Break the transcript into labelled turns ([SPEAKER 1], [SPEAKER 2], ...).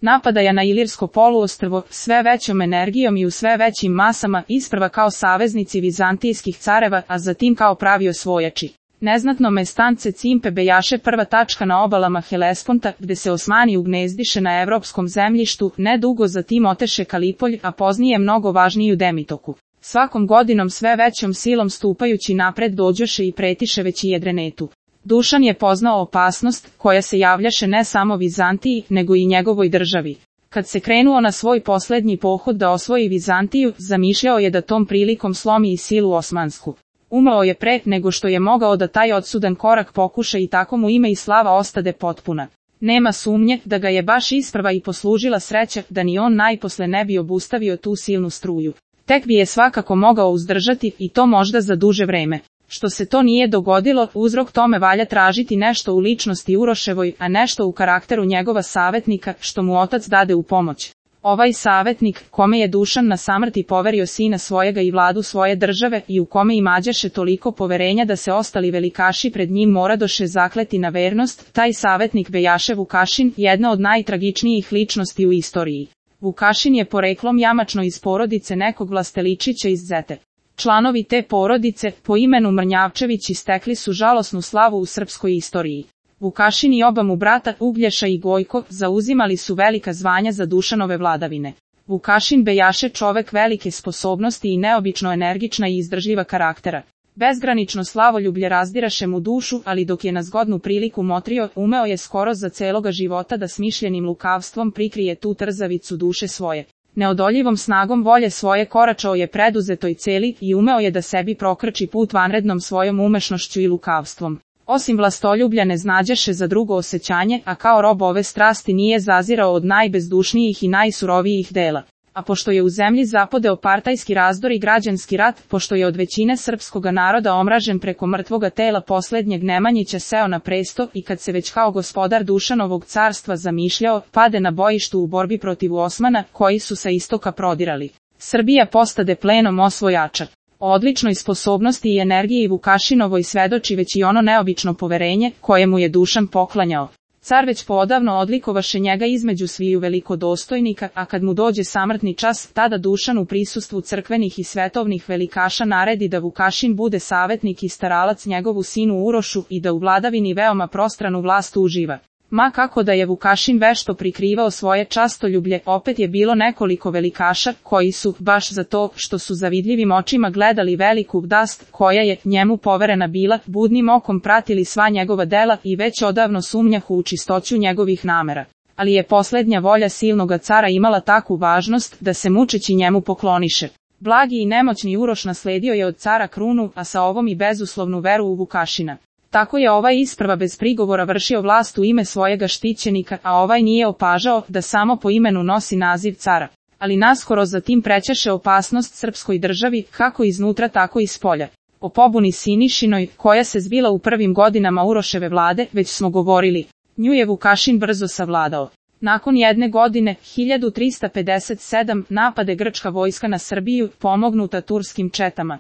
[SPEAKER 1] napadaja na Ilirsko poluostrvo sve većom energijom i u sve većim masama, isprva kao saveznici vizantijskih careva, a zatim kao pravi osvojači. Neznatno mestance Cimpe bejaše prva tačka na obalama Helesponta, gde se Osmani ugnezdiše na evropskom zemljištu, nedugo zatim oteše Kalipolj, a poznije mnogo važniju Demitoku. Svakom godinom sve većom silom stupajući napred dođoše i pretiše već i Jedrenetu. Dušan je poznao opasnost, koja se javljaše ne samo Vizantiji, nego i njegovoj državi. Kad se krenuo na svoj poslednji pohod da osvoji Vizantiju, zamišljao je da tom prilikom slomi i silu osmansku. Umro je pre nego što je mogao da taj odsudan korak pokuša i tako mu ime i slava ostade potpuna. Nema sumnje da ga je baš isprva i poslužila sreća da ni on najposle ne bi obustavio tu silnu struju. Tek bi je svakako mogao uzdržati i to možda za duže vreme. Što se to nije dogodilo, uzrok tome valja tražiti nešto u ličnosti Uroševoj, a nešto u karakteru njegova savetnika, što mu otac dade u pomoć. Ovaj savetnik, kome je Dušan na samrti poverio sina svojega i vladu svoje države i u kome imađaše toliko poverenja da se ostali velikaši pred njim moradoše zakleti na vernost, taj savetnik bejaše Vukašin, jedna od najtragičnijih ličnosti u istoriji. Vukašin je poreklom jamačno iz porodice nekog Vlasteličića iz Zete. Članovi te porodice, po imenu Mrnjavčevići, stekli su žalosnu slavu u srpskoj istoriji. Vukašin i oba mu brata, Uglješa i Gojko, zauzimali su velika zvanja za Dušanove vladavine. Vukašin bejaše čovek velike sposobnosti i neobično energična i izdržljiva karaktera. Bezgranično slavoljublje razdiraše mu dušu, ali dok je na zgodnu priliku motrio, umeo je skoro za celoga života da smišljenim lukavstvom prikrije tu trzavicu duše svoje. Neodoljivom snagom volje svoje koračao je preduzetoj celi i umeo je da sebi prokrči put vanrednom svojom umešnošću i lukavstvom. Osim vlastoljublja ne znađaše za drugo osjećanje, a kao rob ove strasti nije zazirao od najbezdušnijih i najsurovijih dela. A pošto je u zemlji zapodeo partajski razdor i građanski rat, pošto je od većine srpskoga naroda omražen preko mrtvoga tela poslednjeg Nemanjića seo na presto i kad se već kao gospodar Dušanovog carstva zamišljao, pade na bojištu u borbi protiv Osmana, koji su sa istoka prodirali. Srbija postade plenom osvojača. O odličnoj sposobnosti i energiji Vukašinovoj svedoči već i ono neobično poverenje, koje mu je Dušan poklanjao. Car već poodavno odlikovaše njega između sviju velikodostojnika, a kad mu dođe samrtni čas, tada Dušan u prisustvu crkvenih i svetovnih velikaša naredi da Vukašin bude savetnik i staralac njegovu sinu Urošu i da u vladavini veoma prostranu vlast uživa. Ma kako da je Vukašin vešto prikrivao svoje častoljublje, opet je bilo nekoliko velikaša, koji su, baš za to što su zavidljivim očima gledali veliku vdast, koja je njemu poverena bila, budnim okom pratili sva njegova dela i već odavno sumnjahu u čistoću njegovih namera. Ali je poslednja volja silnoga cara imala takvu važnost, da se mučeći njemu pokloniše. Blagi i nemoćni Uroš nasledio je od cara krunu, a sa ovom i bezuslovnu veru u Vukašina. Tako je ovaj isprva bez prigovora vršio vlast u ime svojega štićenika, a ovaj nije opažao da samo po imenu nosi naziv cara. Ali naskoro zatim prećaše opasnost srpskoj državi, kako iznutra tako i spolja. O pobuni Sinišinoj, koja se zbila u prvim godinama Uroševe vlade, već smo govorili. Nju je Vukašin brzo savladao. Nakon jedne godine, 1357, napade grčka vojska na Srbiju, pomognuta turskim četama.